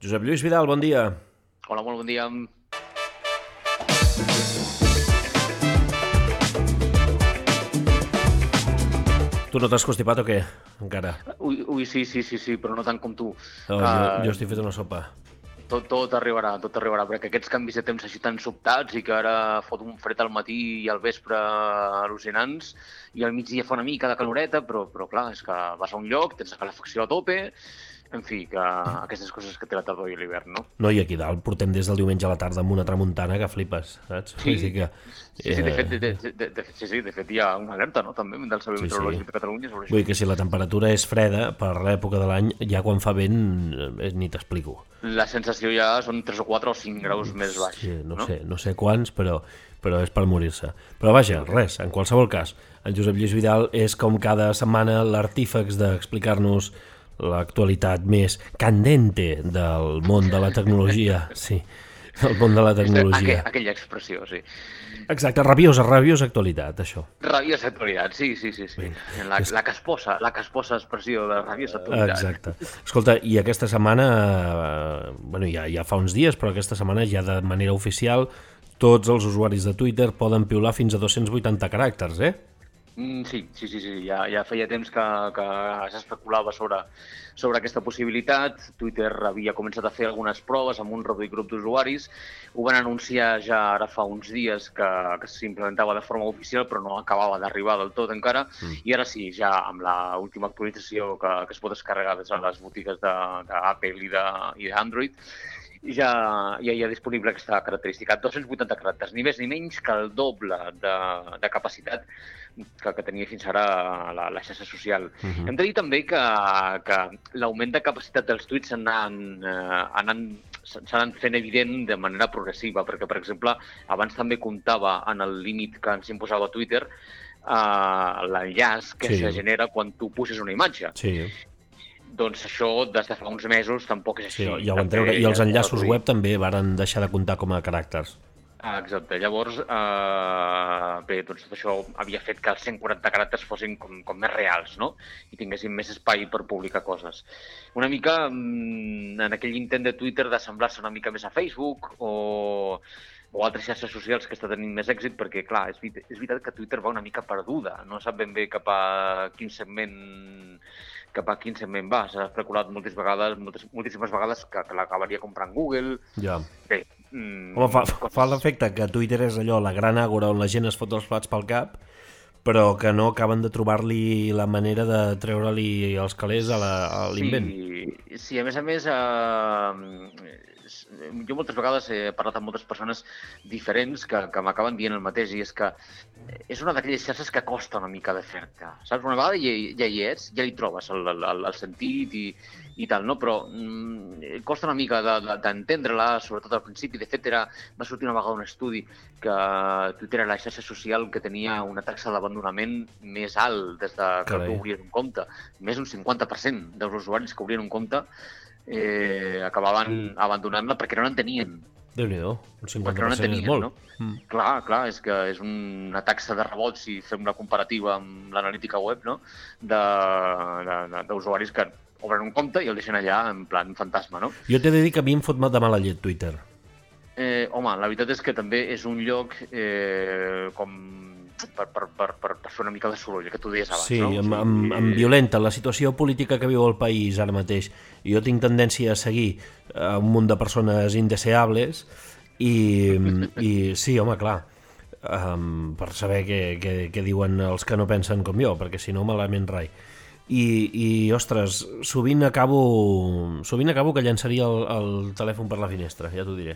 Josep Lluís Vidal, bon dia. Hola, molt bon dia. Tu no t'has constipat o què, encara? Ui, sí, però no tant com tu. Jo estic fet una sopa. Tot arribarà, perquè aquests canvis de temps així tan sobtats i que ara fot un fred al matí i al vespre al·lucinants i al migdia fa una mica de caloreta, però clar, és que vas a un lloc, tens la calefacció a tope, en fi, que aquestes coses que té la tardor i l'hivern, no? No, i aquí dalt portem des del diumenge a la tarda amb una tramuntana que flipes, saps? Sí, de fet hi ha una alerta, no?, també del Servei Meteorològic de Catalunya sobre això. Vull dir que si la temperatura és freda per l'època de l'any, ja quan fa vent ni t'explico. La sensació ja són 3 o 4 o 5 graus més baix. Sí, no sé quants, però és per morir-se. Però vaja, res, en qualsevol cas, en Josep Lluís Vidal és com cada setmana l'artífex d'explicar-nos l'actualitat més candente del món de la tecnologia. Sí, del món de la tecnologia. Aquella expressió, sí. Exacte, rabiosa actualitat, això. Rabiosa actualitat, sí. La casposa expressió de rabiosa actualitat. Exacte. Escolta, i aquesta setmana, ja fa uns dies, però aquesta setmana ja de manera oficial tots els usuaris de Twitter poden piular fins a 280 caràcters, eh? Sí. Ja feia temps que s'especulava sobre aquesta possibilitat. Twitter havia començat a fer algunes proves amb un reduït grup d'usuaris. Ho van anunciar ja ara fa uns dies que s'implementava de forma oficial, però no acabava d'arribar del tot encara. I ara sí, ja amb l'última actualització que es pot descarregar des de les botigues d'Apple i d'Android, ja hi ha disponible aquesta característica. 280 caràcters, ni més ni menys que el doble de capacitat que tenia fins ara la xarxa social. Hem de dir també que l'augment de capacitat dels tuits s'han fent evident de manera progressiva, perquè, per exemple, abans també comptava en el límit que ens imposava Twitter l'enllaç que se genera quan tu puges una imatge. Sí. Doncs això, des de fa uns mesos, tampoc és així. Sí, ja ho van treure. I els enllaços web també varen deixar de comptar com a caràcters. Exacte. Llavors, doncs tot això havia fet que els 140 caràcters fossin com més reals, no? I tinguessin més espai per publicar coses. Una mica en aquell intent de Twitter d'assemblar-se una mica més a Facebook o altres xarxes socials que està tenint més èxit, perquè, clar, és veritat que Twitter va una mica perduda. No sap ben bé cap a quin segment va. S'ha especulat moltíssimes vegades que l'acabaria comprant Google. Ja. Bé, home, fa l'efecte que Twitter és allò, la gran àgora on la gent es fot els plats pel cap, però que no acaben de trobar-li la manera de treure-li els calés a l'invent. Sí, a més, jo moltes vegades he parlat amb moltes persones diferents que m'acaben dient el mateix, i és que és una d'aquelles xarxes que costa una mica de fer-te, saps? Una vegada ja hi ets, ja hi trobes el sentit i tal, no? Però costa una mica d'entendre-la, sobretot al principi. De fet, va sortir una vegada un estudi que Twitter era la xarxa social que tenia una taxa d'abandonament més alt des que tu obries un compte. Més d'un 50% dels usuaris que obrien un compte acabaven abandonant-la perquè no l'entenien. Déu-n'hi-do, un 50% és molt. No? Clar, és que és una taxa de rebot, si fem la comparativa amb l'analítica web, no? D'usuaris que obren un compte i el deixen allà en plan fantasma, no? Jo t'he de dir que a mi em fot de mala llet Twitter. Home, la veritat és que també és un lloc com per fer una mica de soroll, que tu deies abans, sí, no? Amb violenta, la situació política que viu el país ara mateix. Jo tinc tendència a seguir un munt de persones indeseables i sí, home, clar, per saber què diuen els que no pensen com jo, perquè si no malament rai. I ostres, sovint acabo que llançaria el telèfon per la finestra, ja t'ho diré.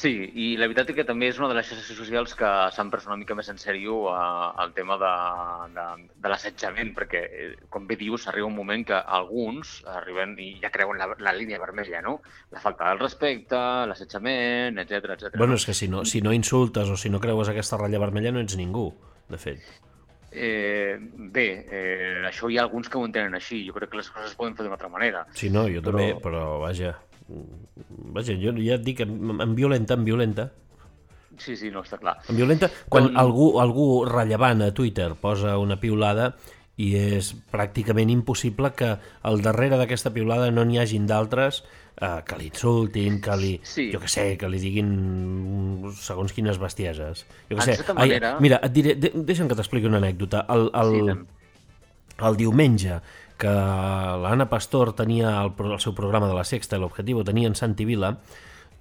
Sí, i la veritat és que també és una de les xarxes socials que s'han pres una mica més en sèrio el tema de l'assetjament, perquè, com bé dius, arriba un moment que alguns arriben i ja creuen la línia vermella, no? La falta del respecte, l'assetjament, etc. Bueno, és que si no insultes o si no creues aquesta ratlla vermella no ets ningú, de fet. Bé, això hi ha alguns que ho entenen així. Jo crec que les coses es poden fer d'una altra manera. Sí, no, jo també, però vaja, jo ja et dic, en violenta. Sí, no, està clar. En violenta, quan algú rellevant a Twitter posa una piulada i és pràcticament impossible que al darrere d'aquesta piulada no n'hi hagin d'altres que li insultin, que li... Jo què sé, que li diguin segons quines bestieses. Jo què sé. Mira, et diré, deixa'm que t'expliqui una anècdota. El diumenge que l'Anna Pastor tenia el seu programa de La Sexta, l'Objectivo, tenia en Santi Vila,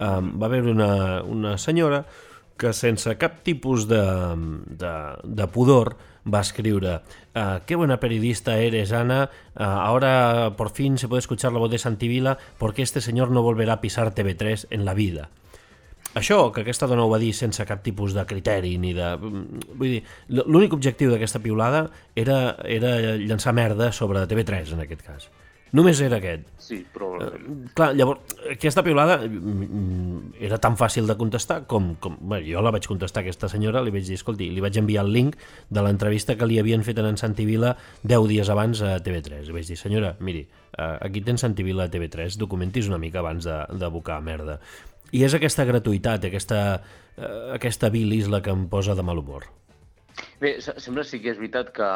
va haver una senyora que sense cap tipus de pudor va escriure: qué buena periodista eres, Ana, ahora por fin se puede escuchar la voz de Santi Vila porque este señor no volverá a pisar TV3 en la vida. Això, que aquesta dona ho va dir sense cap tipus de criteri ni de... Vull dir, l'únic objectiu d'aquesta piulada era llançar merda sobre TV3, en aquest cas. Només era aquest. Sí, però... Clar, llavors, aquesta piulada era tan fàcil de contestar com... Bé, jo la vaig contestar a aquesta senyora, li vaig dir, escolti, li vaig enviar el link de l'entrevista que li havien fet en Santi Vila 10 dies abans a TV3. Li vaig dir, senyora, miri, aquí tens Santi Vila a TV3, documentis una mica abans d'abocar merda. I és aquesta gratuïtat, aquesta bilis la que em posa de mal humor. Bé, sembla sí que és veritat que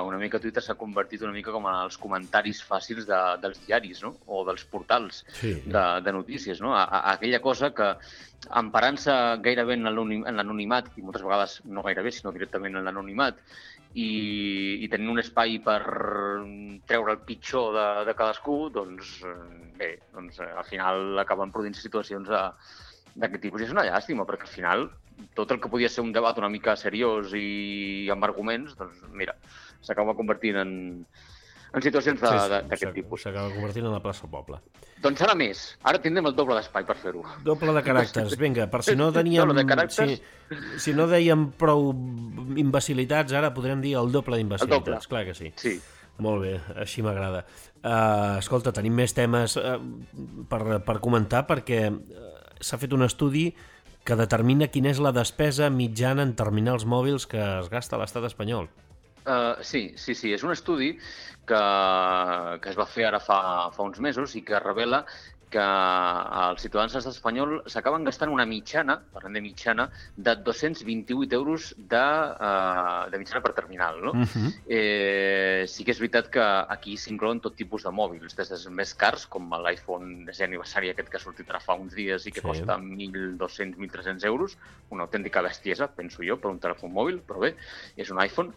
una mica Twitter s'ha convertit una mica com en els comentaris fàcils dels diaris, no? O dels portals de notícies, no? Aquella cosa que, emparant-se gairebé en l'anonimat, i moltes vegades no gairebé, sinó directament en l'anonimat, i tenint un espai per treure el pitjor de cadascú, doncs bé, al final acaben produint situacions d'aquest tipus. I és una llàstima, perquè al final tot el que podia ser un debat una mica seriós i amb arguments, doncs mira, s'acaba convertint en situacions d'aquest tipus. S'acaba convertint en la plaça Poble. Doncs ara més. Ara tindrem el doble d'espai per fer-ho. Doble de caràcters. Vinga, per si no teníem... Si no dèiem prou imbecilitats, ara podrem dir el doble d'imbecilitats. Clar que sí. Sí. Molt bé, així m'agrada. Escolta, tenim més temes per comentar, perquè s'ha fet un estudi que determina quina és la despesa mitjana en terminals mòbils que es gasta a l'estat espanyol. Sí. És un estudi que es va fer ara fa uns mesos i que revela que els ciutadans de l'estat espanyol s'acaben gastant una mitjana, parlem de mitjana, de 228 euros de mitjana per terminal, no? Sí que és veritat que aquí s'inclouen tot tipus de mòbils, des dels més cars, com l'iPhone 10è aniversari aquest que ha sortit ara fa uns dies i que costa 1.200-1.300 euros, una autèntica bestiesa, penso jo, per un telèfon mòbil, però bé, és un iPhone.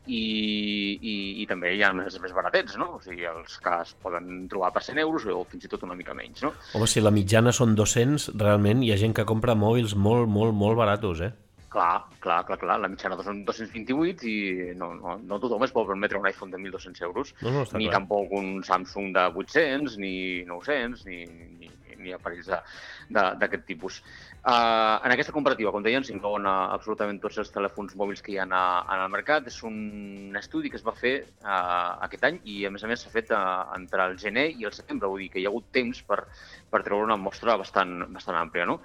I també hi ha els més baratets, no? O sigui, els que es poden trobar per 100 euros o fins i tot una mica menys, no? Home, si la mitjana són 200, realment hi ha gent que compra mòbils molt, molt, molt baratos, eh? Clar. La mitjana són 228 i no tothom es pot permetre un iPhone de 1.200 euros, ni tampoc un Samsung de 800, ni 900, ni aparells d'aquest tipus. En aquesta comparativa, com deien, s'inclouen absolutament tots els telèfons mòbils que hi ha al mercat. És un estudi que es va fer aquest any i, a més s'ha fet entre el gener i el setembre. Vull dir que hi ha hagut temps per treure una mostra bastant àmplia, no?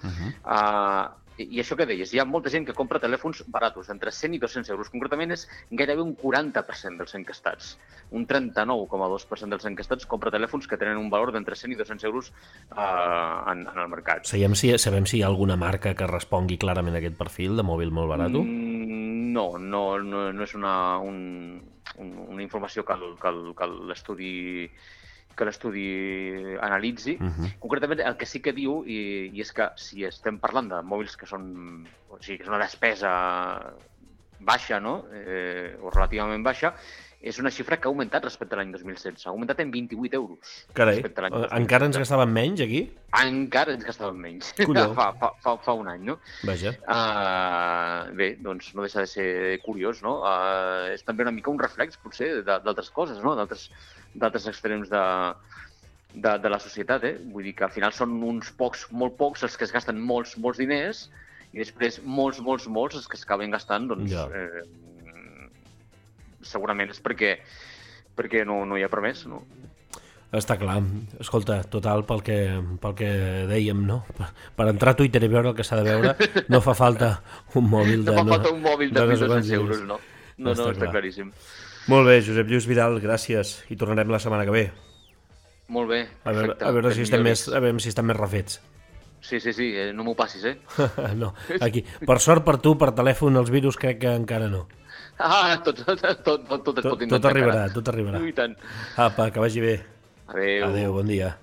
I això que deies, hi ha molta gent que compra telèfons baratos, entre 100 i 200 euros. Concretament és gairebé un 40% dels encastats. Un 39,2% dels encastats compra telèfons que tenen un valor d'entre 100 i 200 euros en el mercat. Sabem si hi ha alguna marca que respongui clarament a aquest perfil de mòbil molt barat? No és una informació que l'estudi analitzi. Concretament, el que sí que diu, i és que si estem parlant de mòbils que són una despesa baixa, no? O relativament baixa, és una xifra que ha augmentat respecte a l'any 2016. Ha augmentat en 28 euros. Carai, encara ens gastàvem menys aquí? Encara ens gastàvem menys. Fa un any, no? Vaja. Bé, doncs no deixa de ser curiós, no? És també una mica un reflex, potser, d'altres coses, no? D'altres extrems de la societat, eh? Vull dir que al final són uns pocs, molt pocs, els que es gasten molts diners i després molts els que s'acaben gastant, doncs, segurament és perquè no hi ha per més, no? Està clar. Escolta, total, pel que dèiem, no? Per entrar a Twitter i veure el que s'ha de veure, no fa falta un mòbil de... No fa falta un mòbil de 1.200 euros, no? No, està claríssim. Molt bé, Josep Lluís Vidal, gràcies. I tornarem la setmana que ve. Molt bé, perfecte. A veure si estem més refets. Sí, no m'ho passis, eh? No, aquí. Per sort per tu, per telèfon, els virus crec que encara no. Tot es pot inventar. Tot arribarà. I tant. Apa, que vagi bé. Adéu. Adéu, bon dia.